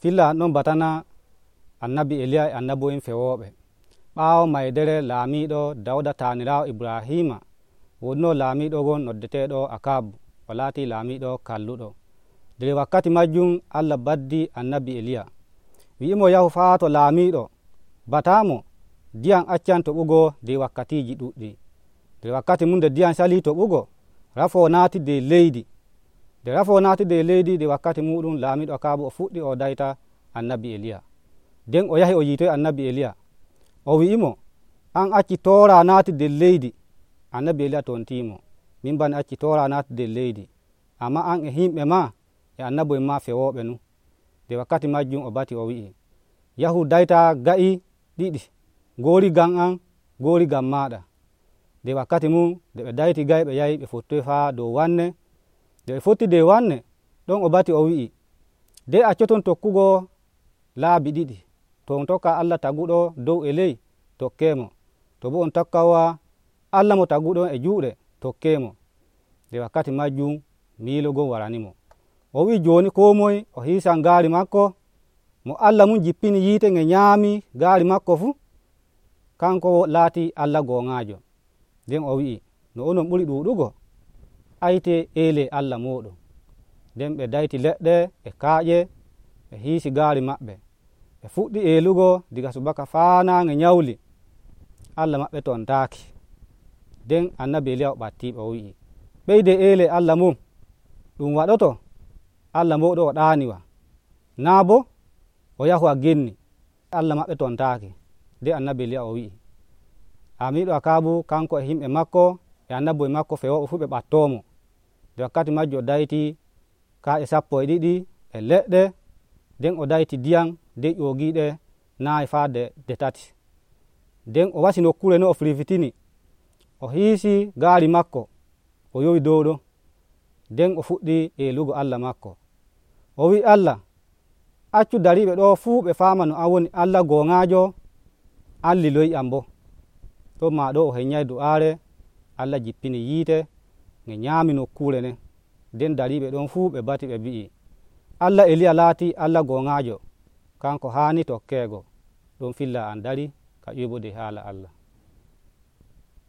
filla an ɗon batana annabi eliya e annabo'en fewoɓe. ɓaawo maydere laamiiɗo dawda taaniraawo ibrahima wonno laamiiɗo gon noddeteeɗo akabu o laati laamiiɗo kalluɗo. nder wakkati majjum allah baddi annabi eliya wi'imo yahu faa to laamiiɗo batamo ndiyam accan toɓugo nder wakkatiji ɗuɗɗi. nder wakkati mum nde ndiyam sali toɓugo rafo naati nder leydi. nde rafo naati nder leydi nder wakkati muɗum laamiiɗo akabu o fuɗɗi o dayta annabi eliya. nden o yahi o yiitoy annabi eliya o wi'imo an acci toora naati nder leydi. annabi eliya tontimo min bani acci toora naati nder leydi, amma an e himɓe ma e annabo'en ma fewoɓe nu. nde wakkati majjum o bati o wi'i yahu dayta ga'i ɗiɗi, ngoori gam an, ngoori gam maɗa. nde wakkati mum nde ɓe dayti ga'i ɓe yahi ɓe fottoy faa dow wanne. nde ɓe fotti dow wanne ɗon o bati o wi'i de accoton tokkugo laabi ɗiɗi, to on tokka allah taguɗo dow e ley tokkemo, to bo on tokkawa allah mo taguɗon e juuɗe tokkemo. nde wakkati majjum miilo gon waranimo. o wi'i joni ko moye o hiisan gaari makko, mo allah mum jippini yiite nge nyaami gaari makko fuu kanko laati allah goŋaajo. nden o wi'i no onon ɓuri ɗuuɗugo ayte eele allah moɗon. nden ɓe dayti leɗɗe e kaaƴe ɓe hiisi gaari maɓɓe, ɓe fuɗɗi eelugo diga subaka faa naange nyawli, allah maɓɓe tontaaki. nden annabi eliya o ɓattiɓe o wi'i ɓeyde eele allah mum ɗum waɗoto allah moɗo o ɗaaniwa, naa bo o yahu a genni, allah maɓɓe tontaaki. nde annabi eliya o wi'i laamiiɗo akabu kanko e himɓe makko e annabo'en makko fewoɓe fuu ɓe ɓattoomo. nde wakkati majjo o dayti kaaƴe 12 e leɗɗe. nden o dayti ndiyam nde ƴoogiiɗe nayi faa de 3. nden o wasi nokkure no o firfitini, o hiisi gaari makko o yowi dow ɗon. nden o fuɗɗi eelugo allah makko. o wi'i allah accu dariiɓe ɗo fuu ɓe faama no an woni allah goŋaajo, an liloyi am bo. ɗon ma ɗo o henyay du'aare, allah jippini yiite nge nyaami nokkure nden. nden dariiɓe ɗon fuu ɓe bati ɓe mbi'i allah eliya laati allah goŋaajo, kanko haani tokkeego. ɗon filla an dari ka ƴuyɓude haala allah.